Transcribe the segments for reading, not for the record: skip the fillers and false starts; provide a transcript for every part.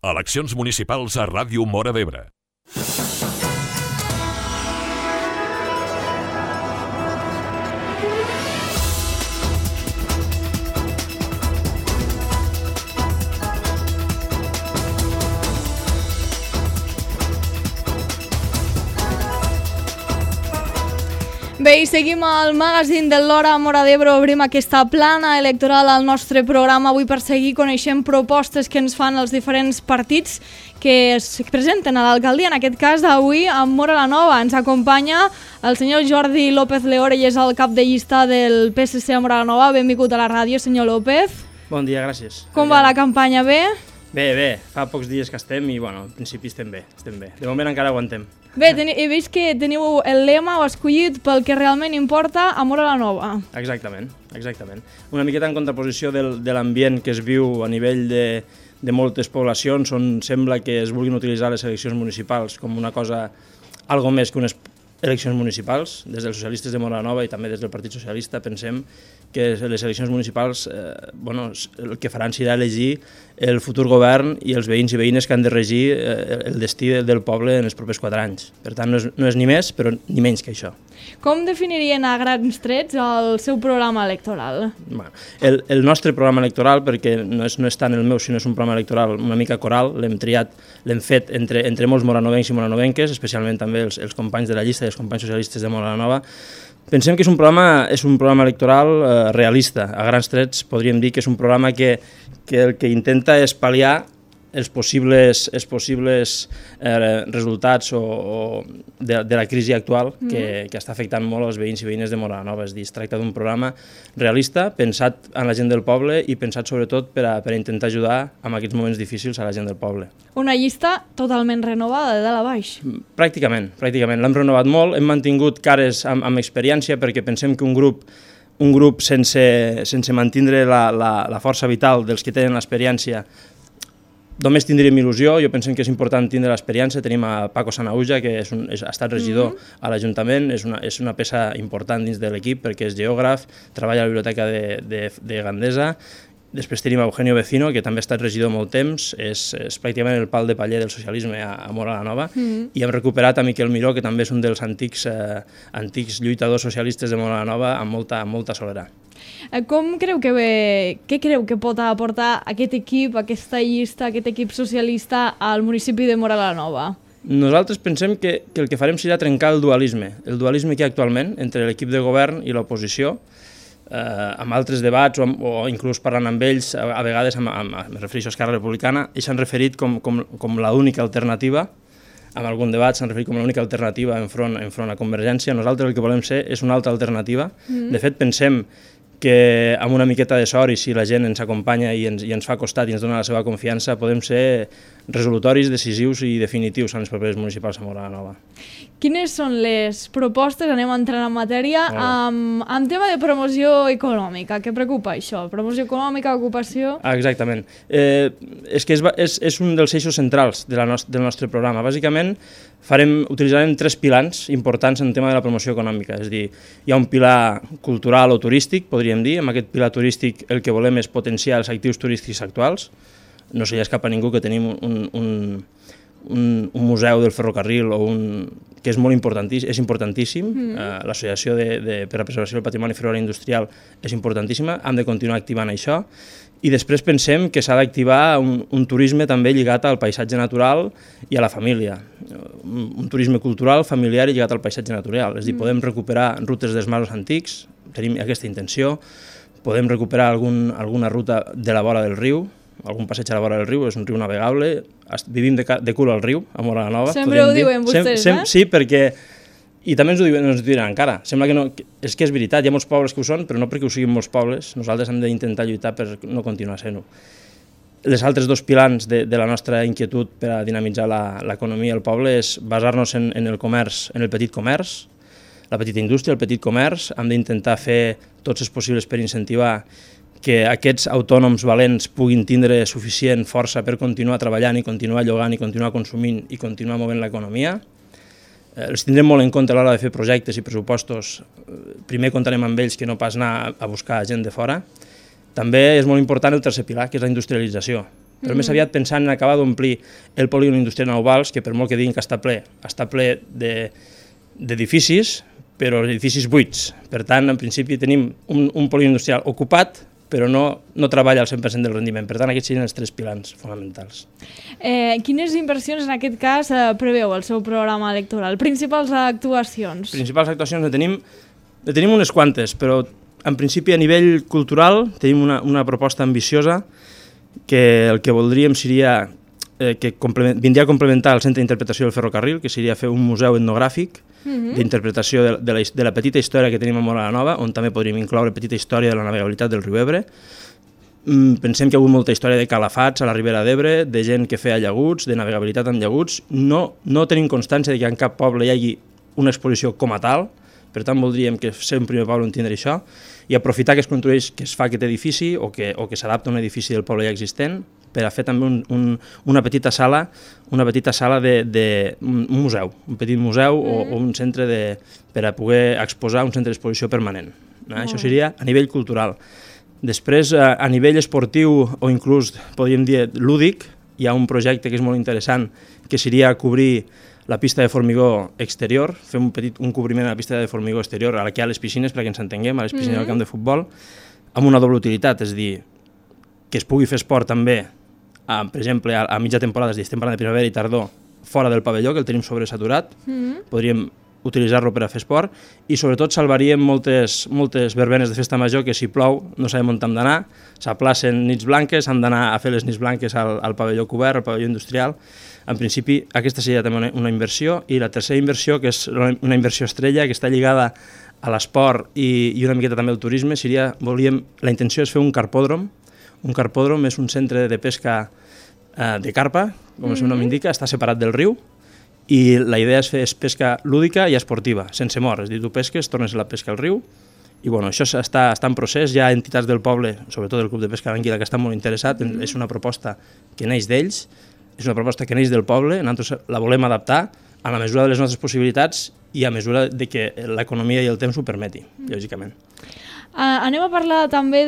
Eleccions municipals a Ràdio Móra d'Ebre. Bé, i seguim al magazín de l'Hora a Móra d'Ebre. Obrim aquesta plana electoral al nostre programa avui per seguir coneixent propostes que ens fan els diferents partits que es presenten a l'alcaldia. En aquest cas, avui, a Móra la Nova, ens acompanya el senyor Jordi López Leore i és el cap de llista del PSC a Móra la Nova. Benvingut a la ràdio, senyor López. Bon dia, gràcies. Com va la campanya? Bé? Bé, fa pocs dies que estem i, bueno, en principi estem bé. De moment encara aguantem. Bé, he vist que teniu el lema o escollit pel que realment importa a Móra la Nova. Exactament. Una miqueta en contraposició de l'ambient que es viu a nivell de moltes poblacions on sembla que es vulguin utilitzar les eleccions municipals com una cosa, algo més que unes eleccions municipals. Des dels socialistes de Móra la Nova i també des del Partit Socialista pensem que les eleccions municipals el que faran serà elegir el futur govern i els veïns i veïnes que han de regir el destí del poble en els propers 4 anys. Per tant, no és ni més, però ni menys que això. Com definirien a grans trets el seu programa electoral? Bueno, el nostre programa electoral, perquè no és tant el meu, sinó és un programa electoral una mica coral, l'hem fet entre molts moranovencs i moranovenques, especialment també els companys de la llista i els companys socialistes de Móra la Nova. Pensem que és un programa electoral realista. A grans trets podríem dir que és un programa que el que intenta és pal·liar els possibles resultats de la crisi actual que està afectant molt els veïns i veïnes de Móra la Nova. És a dir, es tracta d'un programa realista, pensat en la gent del poble i pensat sobretot per a intentar ajudar en aquests moments difícils a la gent del poble. Una llista totalment renovada de dalt a baix. Pràcticament. L'hem renovat molt, hem mantingut cares amb experiència perquè pensem que un grup sense mantenir la força vital dels que tenen l'experiència només tindríem il·lusió. Jo penso que és important tindre l'experiència. Tenim a Paco Sanauja, que ha estat regidor a l'Ajuntament, és una peça important dins de l'equip perquè és geògraf, treballa a la biblioteca de Gandesa. Després tenim a Eugenio Vecino, que també ha estat regidor molt temps, és pràcticament el pal de paller del socialisme a Móra la Nova, i hem recuperat a Miquel Miró, que també és un dels antics lluitadors socialistes de Móra la Nova, amb molta solera. Què creu que pot aportar aquest equip, aquesta llista, aquest equip socialista al municipi de Móra la Nova? Nosaltres pensem que el que farem serà trencar el dualisme que hi ha actualment entre l'equip de govern i l'oposició, amb altres debats o inclús parlant amb ells, a vegades, me refereixo a Esquerra Republicana, ells s'han referit com l'única alternativa, en algun debat s'han referit com l'única alternativa enfront a Convergència. Nosaltres el que volem ser és una altra alternativa. De fet, pensem que amb una miqueta de sort i si la gent ens acompanya i ens fa costat i ens dona la seva confiança, podem ser resolutoris, decisius i definitius en les properes municipals a Móra la Nova. Quines són les propostes? Anem entrant en matèria. En tema de promoció econòmica, què preocupa això? Promoció econòmica, ocupació? Exactament. És que és un dels eixos centrals del nostre programa. Bàsicament, utilitzarem 3 pilars importants en el tema de la promoció econòmica. És a dir, hi ha un pilar cultural o turístic, podríem dir. Amb aquest pilar turístic el que volem és potenciar els actius turístics actuals. No se li escapa a ningú que tenim un museu del ferrocarril que és importantíssim. L'Associació per a la Preservació del Patrimoni Ferroviari Industrial és importantíssima, hem de continuar activant això. I després pensem que s'ha d'activar un turisme també lligat al paisatge natural i a la família. Un turisme cultural, familiar i lligat al paisatge natural. És a dir, podem recuperar rutes dels masos antics, tenim aquesta intenció, podem recuperar alguna ruta de la vora del riu, algun passeig a la vora del riu, és un riu navegable, vivim de cul al riu, a Móra la Nova. Sempre ho diuen vostès, Sí, perquè... I també ens ho diran encara. Sembla que no... És que és veritat, hi ha molts pobles que ho són, però no perquè ho siguin molts pobles. Nosaltres hem d'intentar lluitar per no continuar sent-ho. Les altres 2 pilars de la nostra inquietud per a dinamitzar l'economia al poble és basar-nos en el comerç, en el petit comerç, la petita indústria, el petit comerç. Hem d'intentar fer tots els possibles per incentivar que aquests autònoms valents puguin tindre suficient força per continuar treballant i continuar llogant i continuar consumint i continuar movent l'economia. Els tindrem molt en compte a l'hora de fer projectes i pressupostos. Primer comptarem amb ells que no pas anar a buscar gent de fora. També és molt important el tercer pilar, que és la industrialització. però més aviat pensant en acabar d'omplir el polígon industrial Nou Vals, que per molt que diguin que està ple d'edificis, però edificis buits. Per tant, en principi tenim un polígon industrial ocupat, però no treballa al 100% del rendiment. Per tant, aquests serien els 3 pilars fonamentals. Quines inversions, en aquest cas, preveu el seu programa electoral? Principals actuacions? Principals actuacions ne tenim unes quantes, però en principi a nivell cultural tenim una proposta ambiciosa que el que voldríem seria que vindria a complementar el Centre d'Interpretació del Ferrocarril, que seria fer un museu etnogràfic d'interpretació de la petita història que tenim a Móra la Nova, on també podríem incloure petita història de la navegabilitat del riu Ebre. Pensem que hi ha hagut molta història de calafats a la Ribera d'Ebre, de gent que feia llaguts, de navegabilitat amb llaguts. No tenim constància de que en cap poble hi hagi una exposició com a tal, per tant voldríem que ser un primer poble on tindre això, i aprofitar que es construeix, que es fa aquest edifici o que s'adapta a un edifici del poble ja existent, per a fer també una petita sala un museu, un petit museu o un centre per a poder exposar, un centre d'exposició permanent. Això seria a nivell cultural. Després, a nivell esportiu o inclús, podríem dir, lúdic, hi ha un projecte que és molt interessant, que seria cobrir la pista de formigó exterior, fer un cobriment a la pista de formigó exterior, aquí a les piscines, perquè ens entenguem, a les piscines del camp de futbol, amb una doble utilitat, és a dir, que es pugui fer esport també, per exemple, a mitja temporada, és a dir, estem parlant de primavera i tardor, fora del pavelló, que el tenim sobresaturat, podríem utilitzar-lo per a fer esport, i sobretot salvaríem moltes verbenes de festa major que si plou no sabem on hem d'anar, s'aplacen nits blanques, han d'anar a fer les nits blanques al pavelló cobert, al pavelló industrial. En principi, aquesta seria també una inversió, i la tercera inversió, que és una inversió estrella, que està lligada a l'esport i una miqueta també al turisme, la intenció és fer un carpòdrom. Un carpòdrom és un centre de pesca de carpa, com el seu nom indica, està separat del riu, i la idea és fer pesca lúdica i esportiva, sense mort, és a dir, tu pesques, tornes a la pesca al riu, i bueno, això està en procés, hi ha entitats del poble, sobretot el Club de Pesca d'Anguila, que estan molt interessat, és una proposta que neix d'ells, és una proposta que neix del poble, nosaltres la volem adaptar a la mesura de les nostres possibilitats i a mesura de que l'economia i el temps ho permeti, lògicament. Anem a parlar també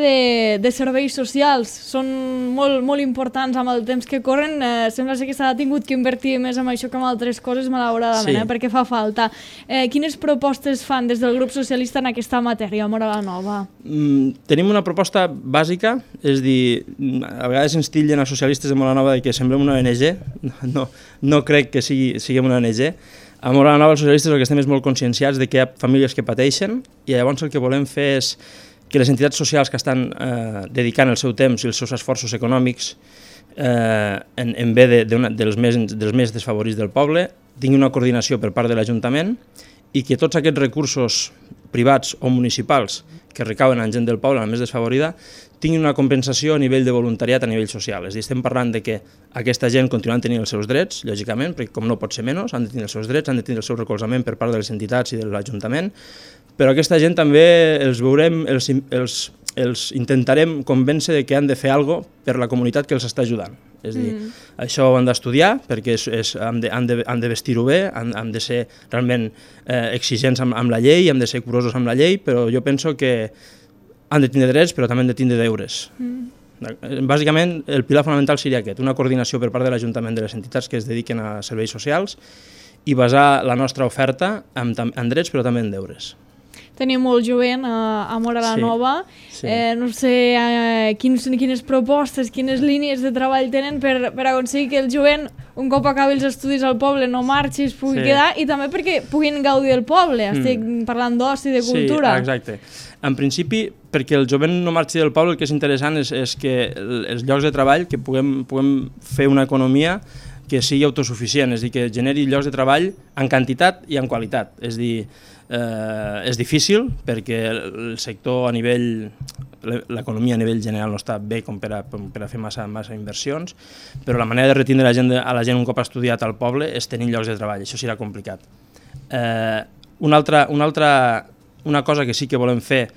de serveis socials. Són molt importants amb el temps que corren. Sembla que s'ha tingut que invertir més en això que en altres coses, malauradament, perquè fa falta. Quines propostes fan des del grup socialista en aquesta matèria, a Móra la Nova? Tenim una proposta bàsica, és dir, a vegades ens tillen a socialistes de Móra la Nova que semblem una ONG, no crec que siguem una ONG. A Móra la Nova els socialistes el que estem és molt conscienciats de que hi ha famílies que pateixen, i llavors el que volem fer és que les entitats socials que estan dedicant el seu temps i els seus esforços econòmics en bé dels més desfavorits del poble tinguin una coordinació per part de l'Ajuntament, i que tots aquests recursos privats o municipals que recauen en gent del poble, la més desfavorida, tinguin una compensació a nivell de voluntariat, a nivell social. És a dir, estem parlant de que aquesta gent continuant tenint els seus drets, lògicament, perquè com no pot ser menys, han de tenir els seus drets, han de tenir el seu recolzament per part de les entitats i de l'Ajuntament, però aquesta gent també els intentarem convèncer de que han de fer alguna cosa per la comunitat que els està ajudant. És a dir, això ho han d'estudiar perquè han de vestir-ho bé, han de ser realment exigents amb la llei, han de ser curosos amb la llei, però jo penso que han de tindre drets però també han de tindre deures. Bàsicament, el pilar fonamental seria aquest, una coordinació per part de l'Ajuntament de les entitats que es dediquen a serveis socials i basar la nostra oferta en drets però també en deures. Tenim molt jovent a Móra la Nova. No sé quines propostes, quines línies de treball tenen per aconseguir que el jovent, un cop acabi els estudis al poble, no marxi, es pugui quedar, i també perquè puguin gaudir del poble. Estic parlant d'oci, de cultura. Sí, exacte. En principi, perquè el jovent no marxi del poble, el que és interessant és que els llocs de treball, que puguem fer una economia que sigui autosuficient, és a dir, que generi llocs de treball en quantitat i en qualitat. És a dir, és difícil perquè el sector a nivell, l'economia a nivell general no està bé com per a fer massa inversions, però la manera de retindre a la gent un cop ha estudiat al poble és tenir llocs de treball, això serà complicat. Una cosa que sí que volem fer,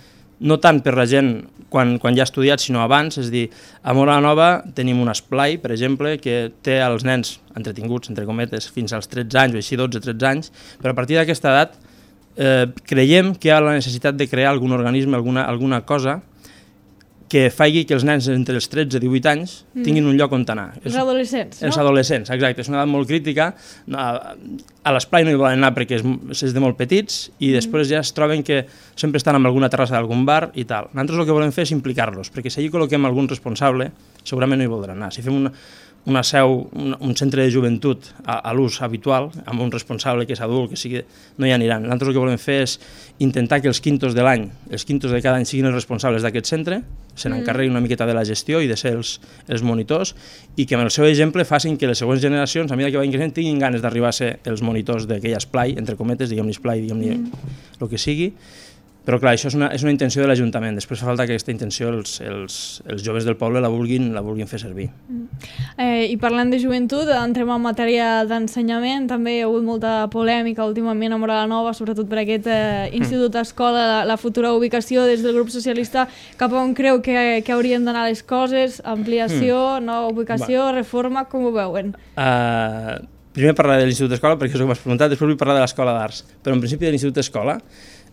no tant per la gent quan ja ha estudiat, sinó abans, és a dir, a Móra la Nova tenim un esplai, per exemple, que té els nens entretinguts, entre cometes, fins als 13 anys, o així 12-13 anys, però a partir d'aquesta edat creiem que hi ha la necessitat de crear algun organisme, alguna cosa que faci que els nens entre els 13 i 18 anys tinguin un lloc on anar. Els adolescents, no? Els adolescents, exacte. És una edat molt crítica. A l'esplai no hi volen anar perquè és de molt petits i després ja es troben que sempre estan en alguna terrassa d'algun bar i tal. Nosaltres el que volem fer és implicar-los, perquè si allí col·loquem algun responsable, segurament no hi voldran anar. Si fem una seu, un centre de joventut a l'ús habitual, amb un responsable que és adult, que sigui, no hi aniran. Nosaltres el que volem fer és intentar que els quintos de l'any, els quintos de cada any siguin els responsables d'aquest centre, se n'encarreguin una miqueta de la gestió i de ser els monitors, i que amb el seu exemple facin que les següents generacions, a mesura que vagin creixent, tinguin ganes d'arribar a ser els monitors d'aquell esplai, entre cometes, diguem-ne esplai, diguem-ne el que sigui. Però clar, això és una intenció de l'Ajuntament. Després fa falta que aquesta intenció els joves del poble la vulguin fer servir. I parlant de joventut, entrem en matèria d'ensenyament. També hi ha hagut molta polèmica últimament a Móra la Nova, sobretot per aquest institut-escola, la futura ubicació des del grup socialista, cap on creu que haurien d'anar les coses, ampliació, nova ubicació, reforma, com ho veuen? Primer parlaré de l'Institut d'Escola, perquè és el que m'has preguntat, després vull parlar de l'Escola d'Arts. Però en principi de l'Institut d'Escola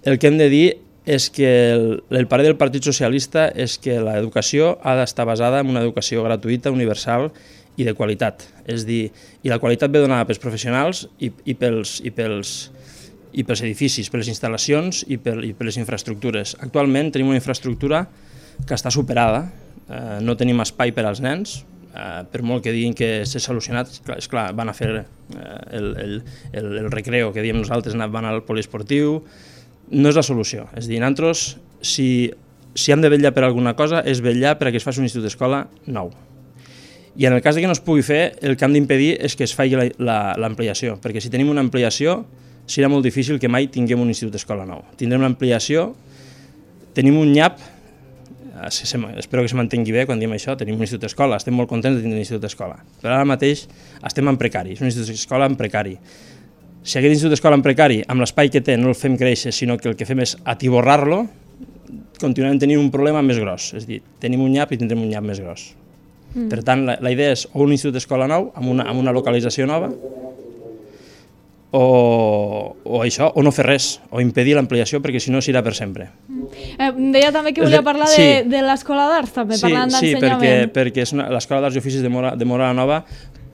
el que hem de dir és que el parer del Partit Socialista és que l'educació ha d'estar basada en una educació gratuïta, universal i de qualitat. És dir, i la qualitat ve donada pels professionals i pels edificis, per les instal·lacions i per les infraestructures. Actualment tenim una infraestructura que està superada, no tenim espai per als nens, per molt que diguin que s'ha solucionat, és clar, van a fer el recreo, que diem nosaltres, van al poliesportiu. No és la solució. És a dir, nosaltres, si hem de vetllar per alguna cosa, és vetllar perquè es faci un institut d'escola nou. I en el cas que no es pugui fer, el que hem d'impedir és que es faci l'ampliació, perquè si tenim una ampliació, serà molt difícil que mai tinguem un institut d'escola nou. Tindrem l'ampliació, tenim un nyap, espero que se mantengui bé quan diem això, tenim un institut d'escola, estem molt contents de tenir un institut d'escola, però ara mateix estem en precari, és un institut d'escola en precari. Si aquest institut d'escola en precari, amb l'espai que té, no el fem créixer, sinó que el que fem és atiborrar-lo, continuarem tenint un problema més gros. És a dir, tenim un nyap i tindrem un nyap més gros. Per tant, la idea és o un institut d'escola nou, amb una localització nova, o això, o no fer res, o impedir l'ampliació, perquè si no serà per sempre. Deia també que volia parlar de l'Escola d'Arts, també, parlant d'ensenyament. Sí, perquè l'Escola d'Arts i Oficis de Móra la Nova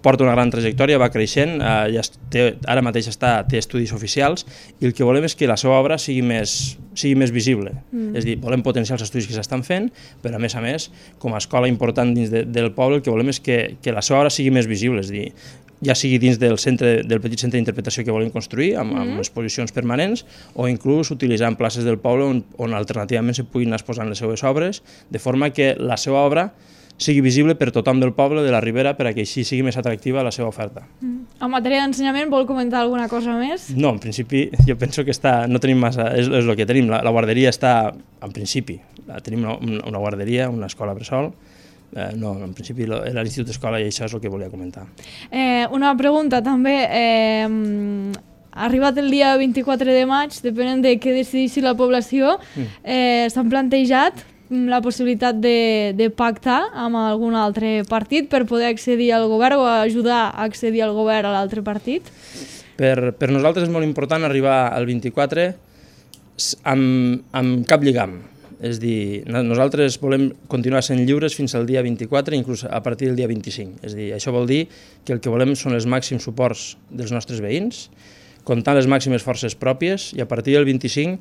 porta una gran trajectòria, va creixent, ara mateix té estudis oficials, i el que volem és que la seva obra sigui més visible. És a dir, volem potenciar els estudis que s'estan fent, però a més, com a escola important dins del poble, el que volem és que la seva obra sigui més visible, és a dir, ja sigui dins del petit centre d'interpretació que volem construir, amb exposicions permanents, o inclús utilitzant places del poble on alternativament se puguin anar exposant les seves obres, de forma que la seva obra sigui visible per tothom del poble, de la Ribera, perquè així sigui més atractiva la seva oferta. En matèria d'ensenyament, vol comentar alguna cosa més? No, en principi jo penso que no tenim massa, és el que tenim, la guarderia està, en principi, tenim una guarderia, una escola bressol, no, en principi era l'Institut d'Escola i això és el que volia comentar. Una pregunta també, arribat el dia 24 de maig, depenent de què decideixi la població, s'han plantejat la possibilitat de pactar amb algun altre partit per poder accedir al govern o ajudar a accedir al govern a l'altre partit? Per nosaltres és molt important arribar al 24 amb cap lligam. És dir, nosaltres volem continuar sent lliures fins al dia 24, inclús a partir del dia 25. És dir, això vol dir que el que volem són els màxims suports dels nostres veïns, comptant les màximes forces pròpies, i a partir del 25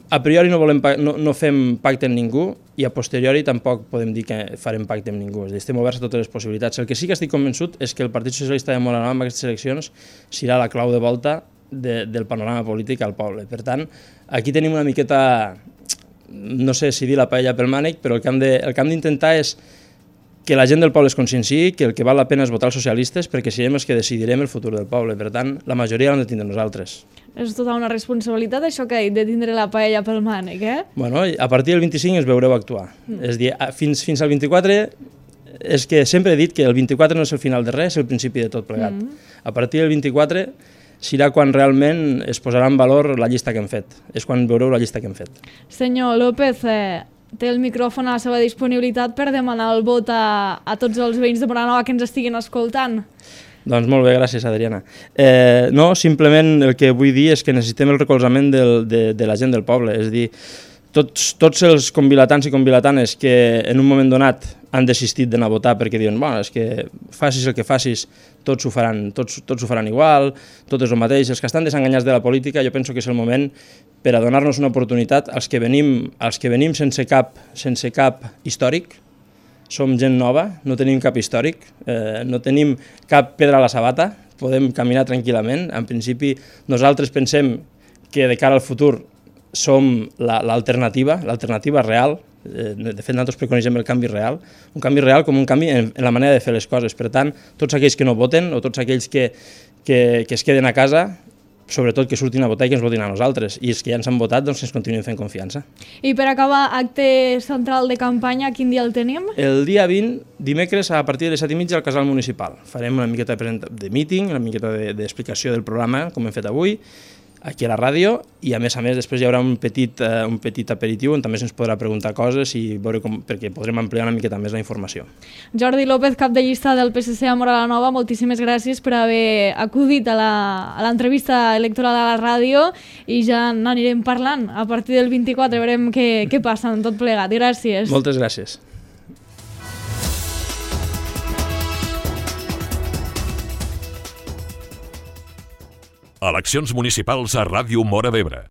a priori no fem pacte amb ningú i a posteriori tampoc podem dir que farem pacte amb ningú, és a dir, estem oberts a totes les possibilitats. El que sí que estic convençut és que el Partit Socialista de Móra la Nova en aquestes eleccions serà la clau de volta del panorama polític al poble. Per tant, aquí tenim una miqueta, no sé si dir la paella pel mànec, però el que hem d'intentar és que la gent del poble es conscienciï que el que val la pena és votar els socialistes perquè serem els que decidirem el futur del poble. Per tant, la majoria l'hem de tindre nosaltres. És tota una responsabilitat això que ha dit de tindre la paella pel mànec, Bueno, a partir del 25 ens veureu actuar. És a dir, fins al 24, és que sempre he dit que el 24 no és el final de res, és el principi de tot plegat. A partir del 24 serà quan realment es posarà en valor la llista que hem fet. És quan veureu la llista que hem fet. Senyor López, té el micròfon a la seva disponibilitat per demanar el vot a tots els veïns de Móra la Nova que ens estiguin escoltant. Doncs molt bé, gràcies, Adriana. No, simplement el que vull dir és que necessitem el recolzament de la gent del poble. És a dir, tots els convilatans i convilatanes que en un moment donat han desistit d'anar a votar perquè diuen és que facis el que facis, tots ho faran igual, tot és el mateix. Els que estan desenganyats de la política, jo penso que és el moment per a donar-nos una oportunitat als que venim sense cap històric. Som gent nova, no tenim cap històric, no tenim cap pedra a la sabata, podem caminar tranquil·lament. En principi, nosaltres pensem que de cara al futur som l'alternativa real. De fet, nosaltres preconisem el canvi real, un canvi real com un canvi en la manera de fer les coses. Per tant, tots aquells que no voten o tots aquells que es queden a casa, sobretot que surtin a votar i que ens votin a nosaltres. I els que ja ens han votat, doncs que ens continuïn fent confiança. I per acabar, acte central de campanya, quin dia el tenim? El dia 20, dimecres, a partir de les 7:30 al Casal Municipal. Farem una miqueta de míting, una miqueta d'explicació del programa, com hem fet avui, aquí a la ràdio, i a més després hi haurà un petit aperitiu on també se'ns podrà preguntar coses i veure perquè podrem ampliar una miqueta més la informació. Jordi López, cap de llista del PSC a Móra la Nova, moltíssimes gràcies per haver acudit a l'entrevista electoral a la ràdio i ja n'anirem parlant. A partir del 24 veurem què passa en tot plegat. Gràcies. Moltes gràcies. Eleccions municipals a Ràdio Móra d'Ebre.